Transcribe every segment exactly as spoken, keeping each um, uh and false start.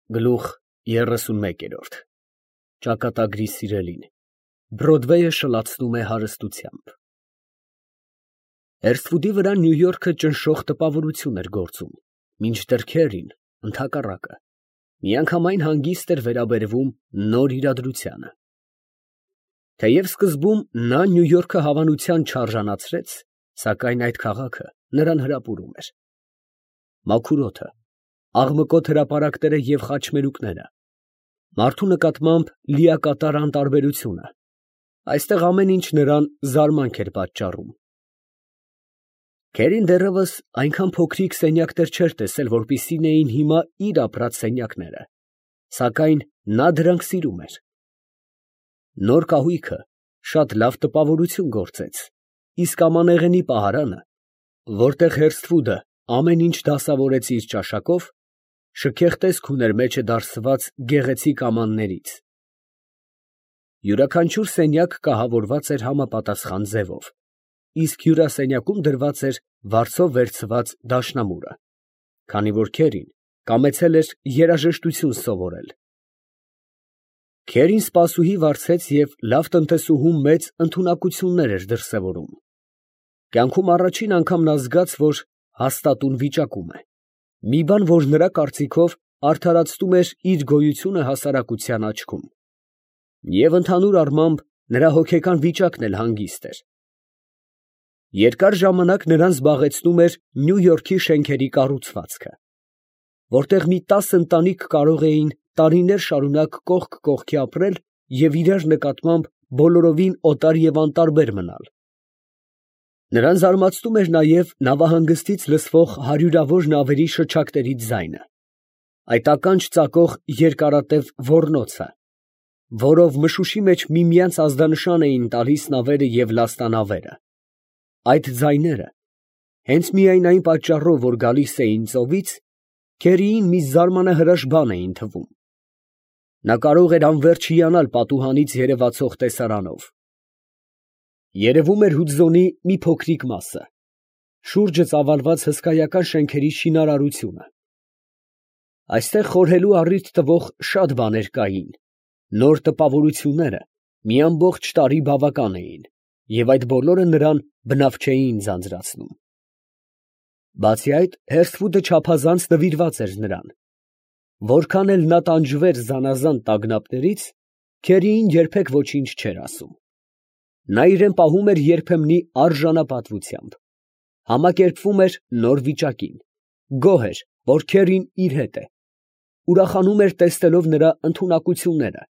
Գլուխ երեսունմեկ։ Ճակատագրի սիրելին, Բրոդվեյը շլացնում է հարստությամբ։ Էրսվուդի վրա Նյու Յորքը ճնշող տպավորություն էր գործում, մինչդեռ Քերին, ընդհակառակը, միանգամայն հանգիստ էր վերաբերվում նոր իրադրությանը։ Թեև սկզբում նա Նյու Յորքը հավանության չարժանացրեց, սակայն այդ քաղաքը նրան հրապուրում էր։ Մաքուր օդը, աղմկոտ հրապարակները և խաչմերուկները, մարդու նկատմամբ լիակատար անտարբերությունը, այստեղ ամեն ինչ նրան զարմանք էր պատճառում։ Քերին դեռևս այնքան փոքրիկ սենյակներ չէր տեսել, որպիսին էին հիմա իր ապրած սենյակները, սակայն նա դրանք սիրում էր։ Նոր կահույքը շատ լավ տպավորություն գործեց, իսկ ամանեղենի պահարանը, որտեղ Հերսթվուդը ամեն ինչ դասավորեց իր ճաշակով, շքեղ տեսք ուներ մեջը դարսված գեղեցիկ ամաններից։ Յուրաքանչյուր սենյակ կահավորված էր համապատասխան ձևով, իսկ հյուրասենյակում դրված էր վարձով վերցված դաշնամուրը, քանի որ Քերին կամեցել էր երաժշտություն սովորել։ Քերին սպասուհի վարձեց և լավ տնտեսուհու մեծ ընդունակություններ էր դրսևորում։ Կյանքում առաջին անգամ նա զգաց, որ հաստատուն վիճակում է, մի բան, որ նրա կարծիքով արդարացնում էր իր գոյությունը հասարակության աչքում, և ընդհանուր առմամբ նրա հոգեկան վիճակն էլ հանգիստ էր։ Երկար ժամանակ նրան զբաղեցնում էր Նյու Յորքի շենքերի կառուցվածքը, որտեղ մի տասը ընտանիք կարող էին տարիներ շարունակ կողք կողքի ապրել և իրար նկատմամբ բոլորովին օտար և անտարբեր մնալ։ Նրան զարմացնում էր նաև նավահանգստից լսվող հարյուրավոր նավերի շչակների ձայնը, այդ ականջ ծակող երկարատև ոռնոցը, որով մշուշի մեջ միմյանց ազդանշան էին տալիս նավերը և լաստանավերը։ Այդ ձայները, հենց միայն այն պատճառով, որ գալիս էին ծովից, Քերիին մի զարմանահրաշ բան էին թվում։ Նա կարող էր անվերջ հիանալ պատուհանից երևացող տեսարանով։ Երևում էր Հուդզոնի մի փոքրիկ մասը, շուրջը ծավալված հսկայական շենքերի շինարարությունը։ Այստեղ խորհելու առիթ տվող շատ բաներ կային, նոր տպավորությունները մի ամբողջ տարի բավական էին, և այդ բոլորը նրան բնավ չէին ձանձրացնում։ Բացի այդ, Հերսթվուդը չափազանց նվիրված էր նրան։ Որքան էլ նա տանջվեր զանազան տագնապներից, Քերիին երբեք ոչինչ չէր ասում։ Նա իրան պահում էր երբեմնի արժանապատվությամբ, համակերպվում էր նոր վիճակին, գոհ էր, որ Քերին իր հետ է, ուրախանում էր տեսնելով նրա ընդունակությունները,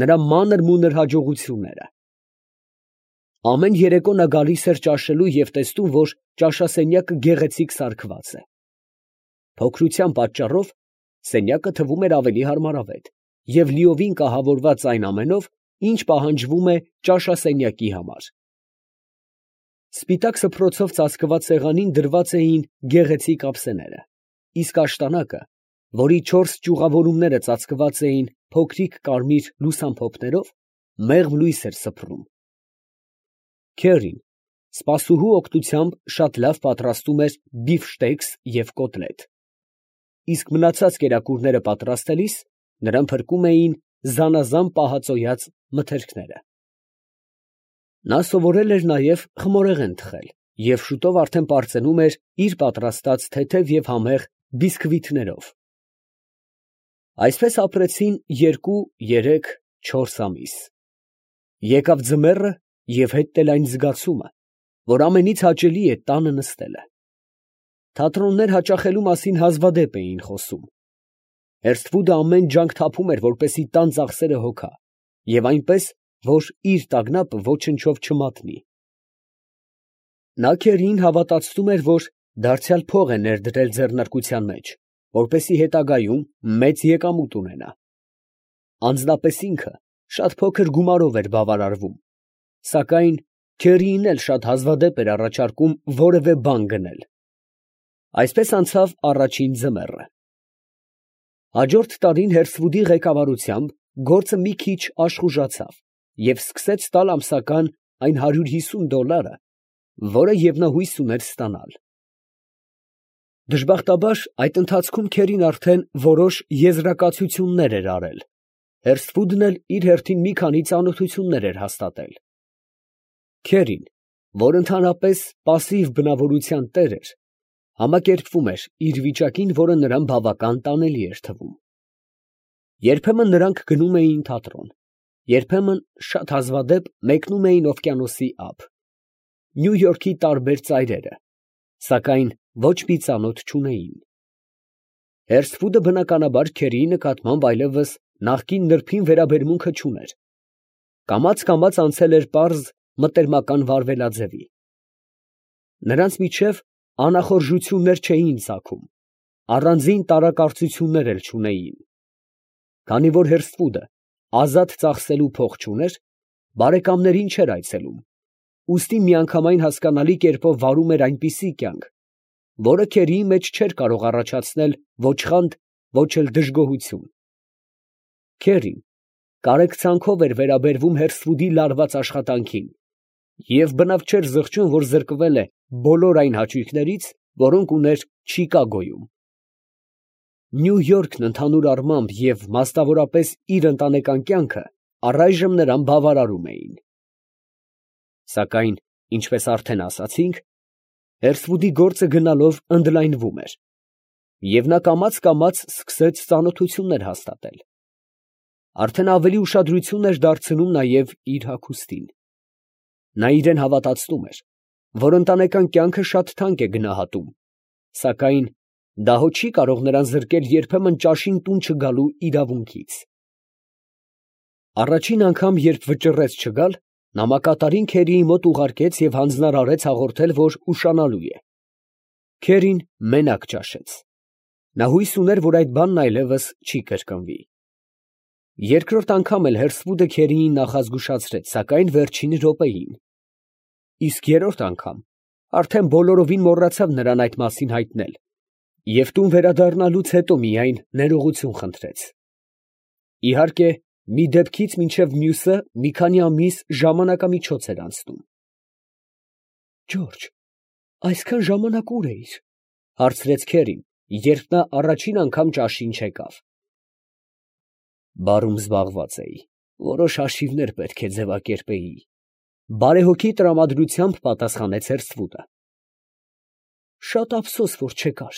նրա մանր֊մունր հաջողությունները։ Ամեն երեկո նա գալիս էր ճաշելու և տեսնում, որ ճաշասենյակը գեղեցիկ սարքված է։ Փոքրության պատճառով սենյակը թվում էր ավելի հարմարավետ և լիովին կահավորված այն ամենով, ինչ պահանջվում է ճաշասենյակի համար։ Սպիտակ սփռոցով ծածկված սեղանին դրված էին գեղեցիկ ափսեները, իսկ աշտանակը, որի չորս ճյուղավորումները ծածկված էին փոքրիկ կարմիր լուսամփոփներով, մեղմ լույս էր սփռում։ Քերին սպասուհու օգնությամբ շատ լավ պատրաստում էր բիֆշտեքս և կոտլետ, իսկ մնացած կերակուրները պատրաստելիս նրան փրկում էին զանազան պահածոյած մթերքները։ Նա սովորել էր նաև խմորեղեն թխել և շուտով արդեն պարծենում էր իր պատրաստած թեթև և համեղ բիսկվիթներով։ Այսպես ապրեցին երկու, երեք, չորս ամիս։ Եկավ ձմեռը և հետն էլ այն զգացումը, որ ամենից հաճելի է տանը նստելը։ Թատրոններ հաճախելու մասին հազվադեպ էին խոսում։ Հերսթվուդը ամեն ջանք թափում էր, որպեսզի տան ծախսերը հոգա, և այնպես, որ իր տագնապը ոչնչով չմատնի։ Նա Քերիին հավատացնում էր, որ դարձյալ փող է ներդրել ձեռնարկության մեջ, որպեսզի հետագայում մեծ եկամուտ ունենա։ Անձնապես ինքը շատ փոքր գումարով էր բավարարվում, սակայն Քերիին էլ շատ հազվադեպ էր առաջարկում որևէ բան գնել։ Այսպես անցավ առաջին ձմեռը։ Հաջորդ տարին Հերսթվուդի ղեկավարությամբ գործը մի քիչ աշխուժացավ և սկսեց տալ ամսական այն հարյուր հիսուն դոլարը, որը և նա հույս ուներ ստանալ։ Դժբախտաբար այդ ընթացքում Քերին արդեն որոշ եզրակացություններ էր արել, Հերսֆուդն էլ իր հերթին մի քանի ծանոթություններ էր հաստատել։ Քերին, որ ընդհանրապես պասիվ բնավորության տեր էր, համակերպվում էր իր վիճակին, որը նրան բավական տանելի էր թվում։ Երբեմն նրանք գնում էին թատրոն, երբեմն շատ հազվադեպ մեկնում էին օվկիանոսի ափ, Նյու Յորքի տարբեր ծայրերը, սակայն ոչ մի ծանոթ չունեին։ Հերսֆուդը բնականաբար Քերիի նկատմամբ այլևս նախկին նրբին վերաբերմունքը չուներ, կամաց֊կամաց անցել էր պարզ մտերմական վարվելաձևի։ Նրանց միջև անախորժություններ չէին ծագում, առանձին տարակարծություններ էլ չունեին։ Քանի որ Հերսֆուդը ազատ ծախսելու փող չուներ, բարեկամներին չէր այցելում, ուստի միանգամայն հասկանալի կերպով վարում էր այնպիսի կյանք, որը Քերիի մեջ չէր կարող առաջացնել ոչ խանդ, ոչ էլ դժգոհություն։ Քերին կարեկցանքով էր վերաբերվում Հերսֆուդի լարված աշխատանքին և բնավ չէր զղջում, որ զրկվել է բոլոր այն հաճույքներից, որոնք ուներ Չիկագոյում։ Նյու Յորքն ընդհանուր առմամբ և մասնավորապես իր ընտանեկան կյանքը առայժմ նրան բավարարում էին։ Սակայն, ինչպես արդեն ասացինք, Հերսֆուդի գործը գնալով ընդլայնվում էր, և նա կամաց֊կամաց սկսեց ծանոթություններ հաստատել։ Արդեն ավելի ուշադրություն էր դարձնում նաև իր հագուստին։ Նա իրան հավատացնում էր, որ ընտանեկան կյանքը շատ թանկ է գնահատում, սակայն դա հո չի կարող նրան զրկել երբեմն ճաշին տուն չգալու իրավունքից։ Առաջին անգամ, երբ վճռեց չգալ, նա մակատարին Քերիի մոտ ուղարկեց և հանձնարարեց հաղորդել, որ ուշանալու է։ Քերին մենակ ճաշեց։ Նա հույս ուներ, որ այդ բանն այլևս չի կրկնվի։ Երկրորդ անգամ էլ Հերսֆուդը Քերիին նախազգուշացրեց, սակայն վերջին րոպեին։ Իսկ երրորդ անգամ արդեն բոլորովին մոռացավ նրան այդ մասին հայտնել և տուն վերադառնալուց հետո միայն ներողություն խնդրեց։ Իհարկե, մի դեպքից մինչև մյուսը մի քանի ամիս ժամանակամիջոց էր անցնում։ Ջորջ, այսքան ժամանակ ուր էիր, ֊ հարցրեց Քերին, երբ նա առաջին անգամ ճաշին չեկավ։ Բարում զբաղված էի, որոշ հաշիվներ պետք է ձևակերպեի, ֊ բարեհոգի տրամադրությամբ պատասխանեց Հերսֆուդը։ Շատ ափսոս, որ չեկար,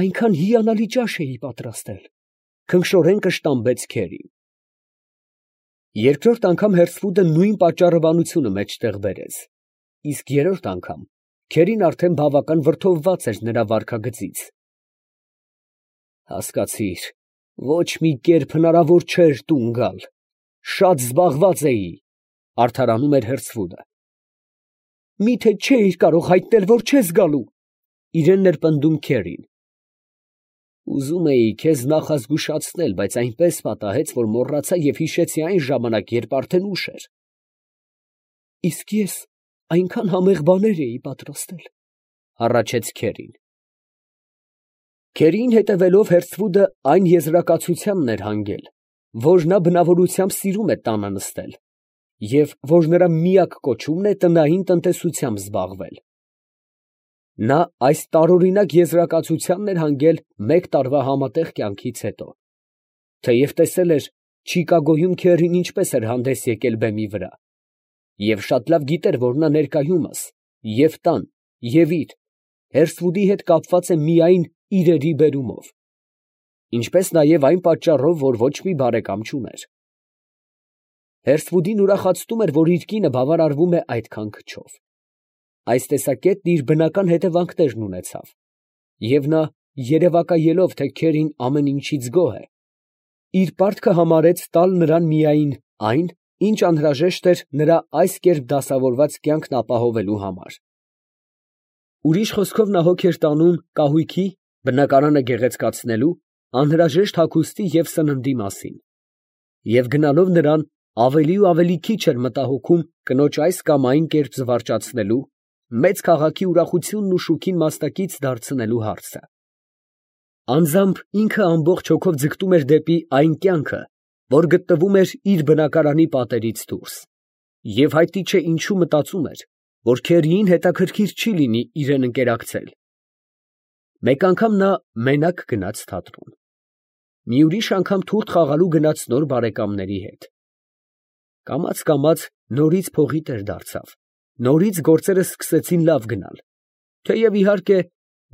այնքան հիանալի ճաշ էի պատրաստել, ֊ քնքշորեն կշտամբեց Քերին։ Երկրորդ անգամ Հերսֆուդը նույն պատճառաբանությունը մեջտեղ բերեց, իսկ երրորդ անգամ Քերին արդեն բավական վրդովված էր նրա վարքագծից։ Հասկացիր, ոչ մի կերպ հնարավոր չէր տուն գալ, շատ զբաղված էի, ֊ արդարանում էր Հերսֆուդը։ Մի՞թե չէիր կարող հայտնել, որ չես գալու, ֊ իրեն էր պնդում Քերին։ Ուզում էի քեզ նախազգուշացնել, բայց այնպես պատահեց, որ մոռացա և հիշեցի այն ժամանակ, երբ արդեն ուշ էր։ Իսկ ես այնքան համեղ բաներ էի պատրաստել, ֊ հառաչեց Քերին։ Քերիին հետևելով Հերսֆուդը այն եզրակացությանն էր հանգել, որ նա բնավորությամբ սիրում է տանը նստել և որ նրա միակ կոչումն է տնային տնտեսությամբ զբաղվել։ Նա այս տարօրինակ եզրակացությանն էր հանգել մեկ տարվա համատեղ կյանքից հետո, թեև տեսել էր Չիկագոյում Քերին ինչպես էր հանդես եկել բեմի վրա, և շատ լավ գիտեր, որ նա ներկայումս և տան, և իր, Հերսֆուդի հետ կապված է միայն իրերի բերումով, ինչպես նաև այն պատճառով, որ ոչ մի բարեկամ չուներ։ Հերսֆուդին ուրախացնում էր, որ իր կինը բավարարվում է այդքան քչով։ Այս տեսակետն իր բնական հետևանքներն ունեցավ, և նա, երևակայելով, թե Քերին ամեն ինչից գոհ է, իր պարտքը համարեց տալ նրան միայն այն, ինչ անհրաժեշտ էր նրա այս կերպ դասավորված կյանքն ապահովելու համար։ Ուրիշ խոսքով, նա հոգ էր տանում կահույքի, բնակարանը գեղեցկացնելու, անհրաժեշտ հագուստի և սննդի մասին, և գնալով նրան ավելի ու ավելի քիչ էր մտահոգում կնոջ այս կամ այն կերպ զվարճացնելու, մեծ քաղաքի ուրախությունն ու շուքին մասնակից դարձնելու հարցը։ Անձամբ ինքը ամբողջ հոգով ձգտում էր դեպի այն կյանքը, որ գտնվում էր իր բնակարանի պատերից դուրս, և հայտնի չէ ինչու մտածում էր, որ Քերիին հետաքրքիր չի լինի իրան ընկերակցել։ Մեկ անգամ նա մենակ գնաց թատրոն, մի ուրիշ անգամ թուղթ խաղալու գնաց նոր բարեկամների հետ. կամաց֊կամաց նորից փողի տեր դարձավ, նորից գործերը սկսեցին լավ գնալ, թեև իհարկե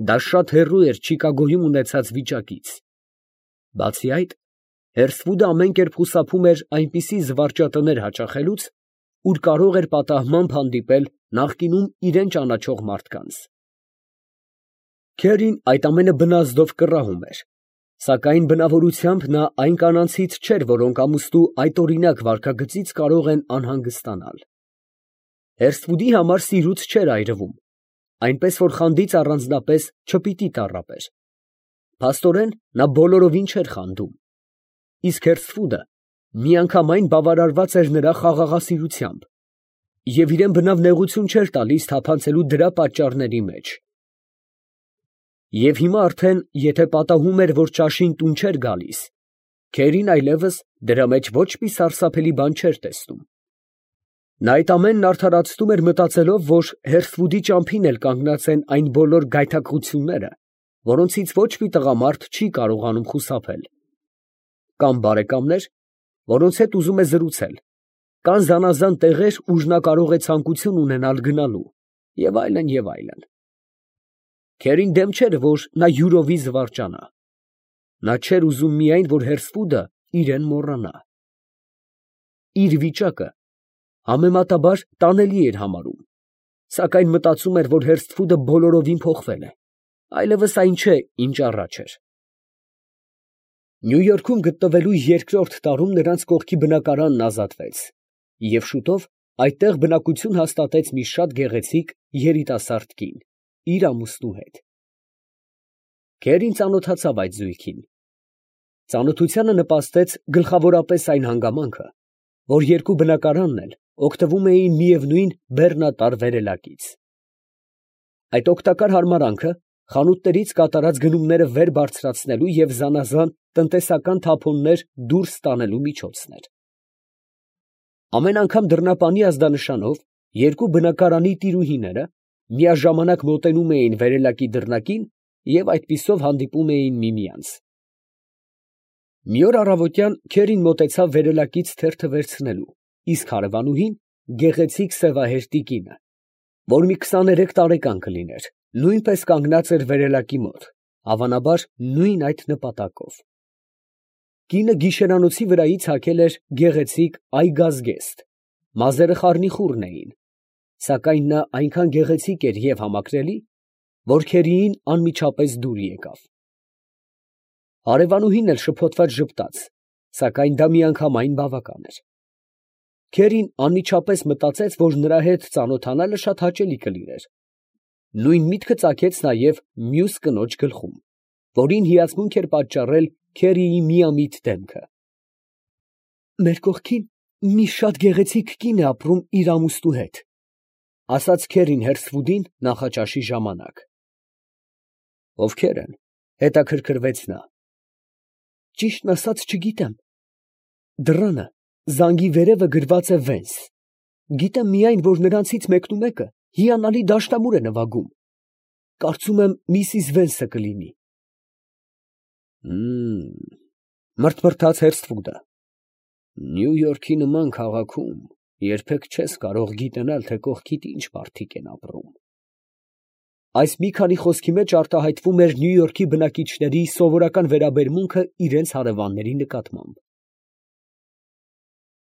դա շատ հեռու էր Չիկագոյում ունեցած վիճակից. բացի այդ, Հերսվուդը ամեն կերպ խուսափում էր այնպիսի զվարճատներ հաճախելուց, ուր կարող էր պատահմամբ հանդիպել նախկինում իրան ճանաչող մարդկանց։ Քերին այդ ամենը բնազդով կռահում էր, սակայն բնավորությամբ նա այն կանանցից չէր, որոնք ամուսնու այդօրինակ վարքագծից կարող են անհանգստանալ։ Հերսվուդի համար սիրուց չէր այրվում, այնպես որ խանդից առանձնապես չպիտի տառապեր։ Փաստորեն նա բոլորովին չէր խանդում, իսկ Հերսվուդը միանգամայն բավարարված էր նրա խաղաղասիրությամբ և իրան բնավ նեղություն չէր տալիս թափանցելու դրա պատճառների մեջ։ Եվ հիմա արդեն, եթե պատահում էր, որ ճաշին տուն չէր գալիս, Քերին այլևս դրա մեջ ոչ մի սարսափելի բան չէր տեսնում։ Նա այդ ամենն արդարացնում էր մտածելով, որ Հերսվուդի ճամփին էլ կանգնած են այն բոլոր գայթակղությունները, որոնցից ոչ մի տղամարդ չի կարողանում խուսափել, կամ բարեկամներ, որոնց հետ ուզում է զրուցել, կան զանազան տեղեր, ուր նա կարող է ցանկություն ունենալ գնալու, և այլն, և այլն։ Քերին դեմ չէր, որ նա յուրովի զվարճանա. նա չէր ուզում միայն, որ Հերսվուդը իրան մոռանա։ Իր վիճակը համեմատաբար տանելի էր համարում, սակայն մտածում էր, որ Հերսվուդը բոլորովին փոխվել է, այլևս այն չէ, ինչ առաջ էր։ Նյու Յորքում գտնվելու երկրորդ տարում նրանց կողքի բնակարանն ազատվեց, և շուտով այդտեղ բնակություն հաստատեց մի շատ գեղեցիկ երիտասարդ կին, իր ամուսնու հետ։ Քերին ծանոթացավ այդ զույգին։ Ծանոթությանը նպաստեց գլխավորապես այն հանգամանքը, որ երկու բնակարանն էլ օգտվում էին միևնույն բեռնատար վերելակից։ Այդ օգտակար հարմարանքը խանութներից կատարած գնումները վեր բարձրացնելու և զանազան տնտեսական թափոններ դուրս տանելու միջոցն էր։ Ամեն անգամ դռնապանի ազդանշանով երկու բնակարանի տիրուհիները միաժամանակ մոտենում էին վերելակի դռնակին և այդպիսով հանդիպում էին միմյանց։ Մի օր առավոտյան Քերին մոտեցավ վերելակից թերթը վերցնելու, իսկ հարևանուհին գեղեցիկ սևահերթի կինը, որ մի քսաներեք տարեկան կլիներ, նույնպես կանգնած էր վերելակի մոտ, հավանաբար նույն այդ նպատակով։ Կինը գիշերանոցի վրայից հագել էր գեղեցիկ այգազգեստ, մազերը խառնիխուռն էին, սակայն նա այնքան գեղեցիկ էր և համակրելի, որ Քերիին անմիջապես դուր եկավ։ Հարևանուհին էլ շփոթված ժպտաց, սակայն դա միանգամայն բավական էր։ Քերին անմիջապես մտածեց, որ նրա հետ ծանոթանալը շատ հաճելի կլիներ։ Նույն միտքը ծագեց նաև մյուս կնոջ գլխում, որին հիացմունք էր պատճառել Քերիի միամիտ դեմքը։ «Մեր կողքին մի շատ գեղեցիկ կին է ապրում իր ամուսնու հետ», ֊ ասաց Քերին Հերսվուդին նախաճաշի ժամանակ։ «Ովքե՞ր են, ֊ հետաքրքրվեց նա։ ֊ Ճիշտն ասած չգիտեմ. դռանը զանգի վերևը գրված է Վենս. գիտեմ միայն, որ նրանցից մեկնումեկը հիանալի դաշնամուր է նվագում. կարծում եմ միսիս Վենսը կլինի»։ Հըմ, մրթմրթաց Հերսվուդը, Նյու Յորքի նման քաղաքում երբեք չես կարող գիտենալ, թե կողքիդ ինչ մարդիկ են ապրում։ Այս մի քանի խոսքի մեջ արտահայտվում էր Նյու Յորքի բնակիչների սովորական վերաբերմունքը իրենց հարևանների նկատմամբ։